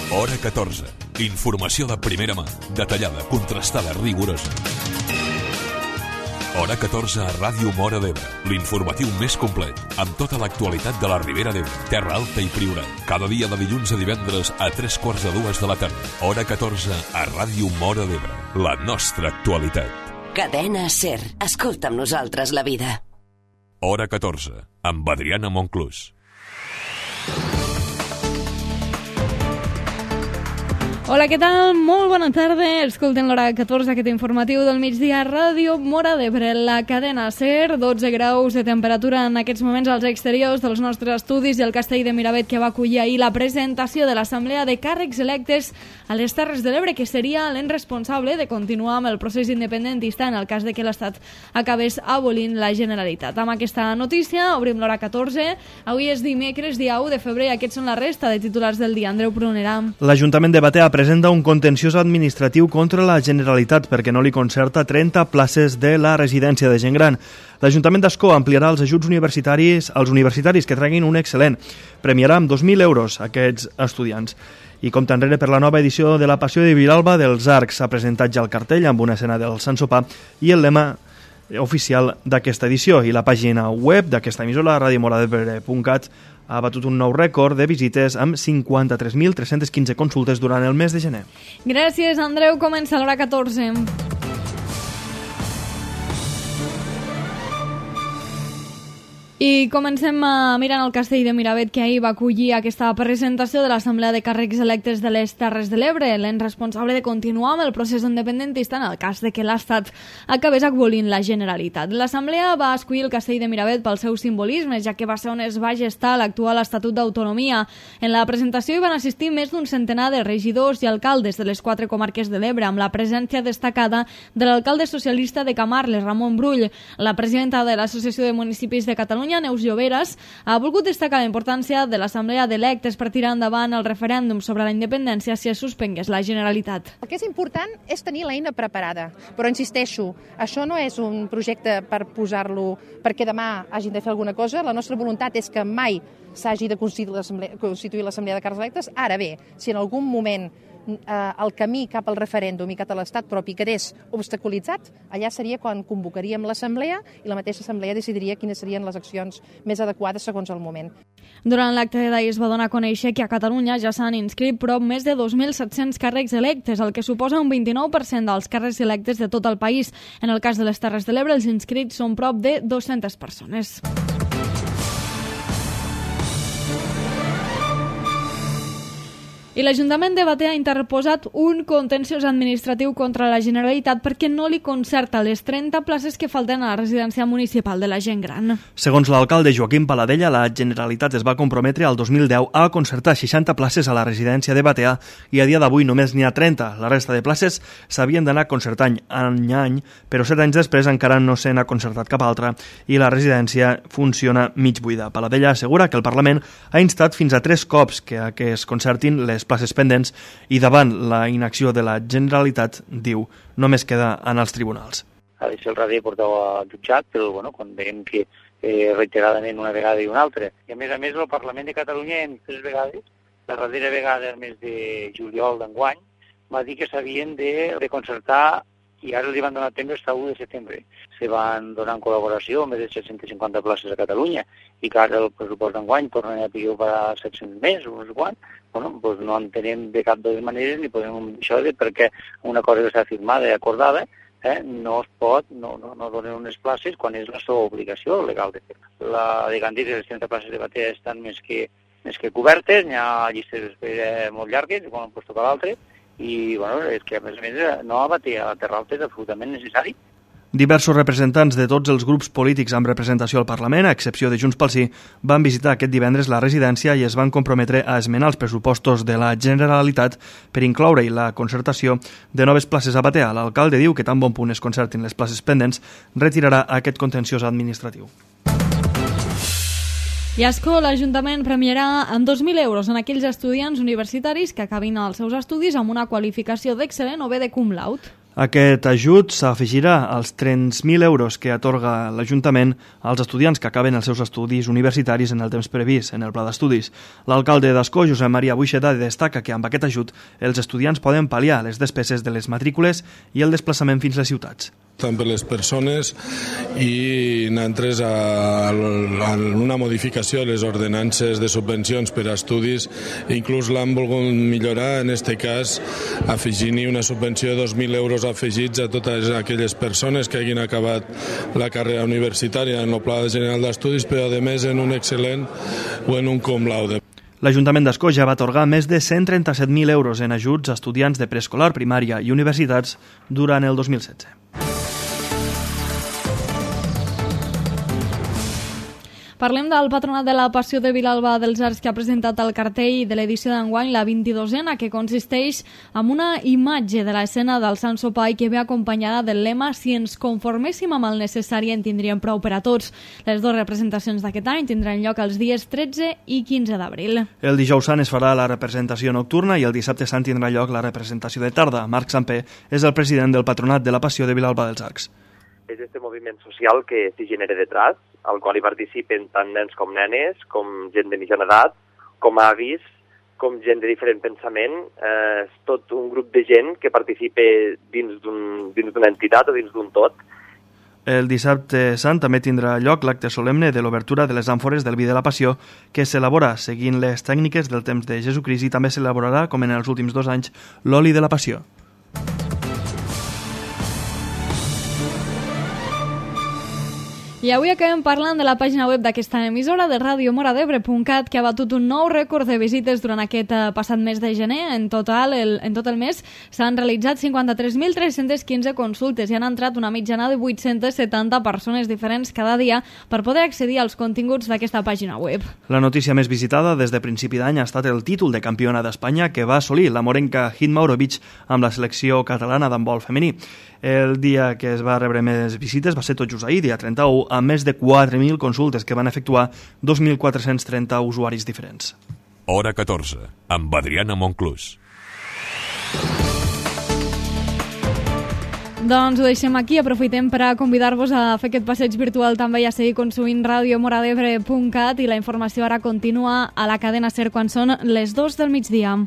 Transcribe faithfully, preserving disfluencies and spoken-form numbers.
Hora catorze. Informació de primera mà, detallada, contrastada, rigorosa. Hora catorze a Ràdio Móra d'Ebre, l'informatiu més complet, amb tota l'actualitat de la Ribera d'Ebre, Terra Alta i Priorat. Cada dia de dilluns a divendres a tres quarts de dues de la tarda. Hora catorze a Ràdio Móra d'Ebre, la nostra actualitat. Cadena SER. Escolta amb nosaltres la vida. Hora catorze, amb Adriana Monclús. Hola, què tal? Molt bona tarda. Escolten l'hora catorze, aquest informatiu del migdia, Ràdio Móra d'Ebre, la cadena SER, dotze graus de temperatura en aquests moments als exteriors dels nostres estudis i el castell de Miravet, que va acollir ahir la presentació de l'Assemblea de Càrrecs Electes a les Terres de l'Ebre, que seria l'en responsable de continuar amb el procés independentista en el cas de que l'Estat acabés abolint la Generalitat. Amb aquesta notícia obrim l'hora catorze. Avui és dimecres, dia u de febrer, i aquests són la resta de titulars del dia. Andreu Prunera. L'Ajuntament de Batea presenta un contenciós administratiu contra la Generalitat perquè no li concerta trenta places de la residència de gent gran. L'Ajuntament d'Ascó ampliarà els ajuts universitaris als universitaris que treguin un excel·lent. Premiarà amb dos mil euros aquests estudiants. I compta enrere per la nova edició de la Passió de Vilalba dels Arcs. S'ha presentat ja el cartell amb una escena del Sant Sopar i el lema oficial d'aquesta edició. I la pàgina web d'aquesta emissora, radio mora d'ebre punt cat, ha batut un nou rècord de visites amb cinquanta-tres mil tres-cents quinze consultes durant el mes de gener. Gràcies, Andreu. Comença l'hora catorze. I comencem mirant el castell de Miravet, que ahir va acollir aquesta presentació de l'Assemblea de Càrrecs Electes de les Terres de l'Ebre, l'en responsable de continuar amb el procés independentista en el cas de que l'Estat acabés abolint la Generalitat. L'Assemblea va escollir el castell de Miravet pel seu simbolisme, ja que va ser on es va gestar l'actual Estatut d'Autonomia. En la presentació hi van assistir més d'un centenar de regidors i alcaldes de les quatre comarques de l'Ebre, amb la presència destacada de l'alcalde socialista de Camarles, Ramon Brull. La presidenta de l'Associació de Municipis de Catalunya, Neus Lloberes, ha volgut destacar la importància de l'Assemblea d'Electes per tirar endavant el referèndum sobre la independència si es suspengués la Generalitat. El que és important és tenir l'eina preparada, però insisteixo, això no és un projecte per posar-lo perquè demà hagin de fer alguna cosa. La nostra voluntat és que mai s'hagi de constituir l'Assemblea de Càrrecs Electes. Ara bé, si en algun moment eh, el camí cap al referèndum i cap a l'estat propi quedés obstaculitzat, allà seria quan convocaríem l'Assemblea i la mateixa Assemblea decidiria quines serien les accions més adequades segons el moment. Durant l'acte d'ahir es va donar a conèixer que a Catalunya ja s'han inscrit prop més de dos mil set-cents càrrecs electes, el que suposa un vint-i-nou per cent dels càrrecs electes de tot el país. En el cas de les Terres de l'Ebre, els inscrits són prop de dues-centes persones. I l'Ajuntament de Batea ha interposat un contenciós administratiu contra la Generalitat perquè no li concerta les trenta places que falten a la residència municipal de la gent gran. Segons l'alcalde Joaquim Paladella, la Generalitat es va comprometre al dos mil deu a concertar seixanta places a la residència de Batea i a dia d'avui només n'hi ha trenta. La resta de places s'havien d'anar concertant any a any, però set anys després encara no se n'ha concertat cap altra i la residència funciona mig buida. Paladella assegura que el Parlament ha instat fins a tres cops que, que es concertin les places pendents i davant la inacció de la Generalitat, diu, només queda en els tribunals. Ha de ser el radi portava al jutjat, però bueno, quan veiem que eh, reiteradament una vegada i una altra. I a més a més el Parlament de Catalunya en tres vegades, la darrera vegada el mes de juliol d'enguany, va dir que s'havien de, de concertar i ara els van donar temps fins al u de setembre. Se van donar en col·laboració més de set-cents cinquanta places a Catalunya i que ara el pressupost d'enguany tornen a pillar per a set-cents més o no sé quant. Bueno, doncs no entenem de cap de les maneres ni podem això de perquè una cosa que està firmada i acordada eh, no es pot, no, no, no donen unes places quan és la seva obligació legal de fer. La de Gandhi i les trenta places de Batea estan més que, més que cobertes, hi ha llistes d'espera molt llargues, com han post per l'altre, i bueno, és que a més a més no a Batea, a Terra Alta és absolutament necessari. Diversos representants de tots els grups polítics amb representació al Parlament, a excepció de Junts pel Sí, van visitar aquest divendres la residència i es van comprometre a esmenar els pressupostos de la Generalitat per incloure-hi la concertació de noves places a Batea. L'alcalde diu que tan bon punt es concertin les places pendents, retirarà aquest contenciós administratiu. I a Ascó, l'Ajuntament premiarà amb dos mil euros en aquells estudiants universitaris que acabin els seus estudis amb una qualificació d'excel·lent o bé de cum laude. Aquest ajut s'afegirà als trenta mil euros que atorga l'Ajuntament als estudiants que acaben els seus estudis universitaris en el temps previst en el pla d'estudis. L'alcalde d'Ascó, Josep Maria Buixeda, destaca que amb aquest ajut els estudiants poden pal·liar les despeses de les matrícules i el desplaçament fins a les ciutats. Tant per les persones i nosaltres a, a una modificació de les ordenances de subvencions per a estudis, inclús l'han volgut millorar, en aquest cas afegint-hi una subvenció de dos mil euros afegits a totes aquelles persones que hagin acabat la carrera universitària en el Pla General d'Estudis, però a més en un excel·lent o en un cum laude. L'Ajuntament d'Ascó ja va atorgar més de cent trenta-set mil euros en ajuts a estudiants de preescolar, primària i universitats durant el dos mil setze. Parlem del Patronat de la Passió de Vilalba dels Arcs, que ha presentat el cartell de l'edició d'enguany, la vint-i-dosena, que consisteix en una imatge de l'escena del Sant Sopar i que ve acompanyada del lema «Si ens conforméssim amb el necessari en tindríem prou per a tots». Les dues representacions d'aquest any tindran lloc els dies tretze i quinze d'abril. El dijous sant es farà la representació nocturna i el dissabte sant tindrà lloc la representació de tarda. Marc Sampé és el president del Patronat de la Passió de Vilalba dels Arcs. És este moviment social que s'hi genera detrás, al qual hi participen tant nens com nenes, com gent de mitjana edat, com avis, com gent de diferent pensament. Eh, és tot un grup de gent que participa dins d'un, dins d'una entitat o dins d'un tot. El dissabte sant també tindrà lloc l'acte solemne de l'obertura de les àmfores del vi de la Passió, que s'elabora seguint les tècniques del temps de Jesucrist, i també s'elaborarà, com en els últims dos anys, l'oli de la Passió. I avui acabem parlant de la pàgina web d'aquesta emissora, de ràdio mora d'ebre punt cat, que ha batut un nou rècord de visites durant aquest passat mes de gener. En total, el, en tot el mes s'han realitzat cinquanta-tres mil tres-cents quinze consultes i han entrat una mitjana de vuit-centes setanta persones diferents cada dia per poder accedir als continguts d'aquesta pàgina web. La notícia més visitada des de principi d'any ha estat el títol de campiona d'Espanya que va assolir la morenca Hit Maurovic amb la selecció catalana d'handbol femení. El dia que es va rebre més visites va ser tot just ahir, dia trenta-u, amb més de quatre mil consultes que van efectuar dos mil quatre-cents trenta usuaris diferents. Hora catorze, amb Adriana Monclús. Doncs ho deixem aquí, aprofitem per a convidar-vos a fer aquest passeig virtual també i a seguir consumint ràdio mora d'ebre punt cat, i la informació ara continua a la cadena SER quan són les dues del migdia.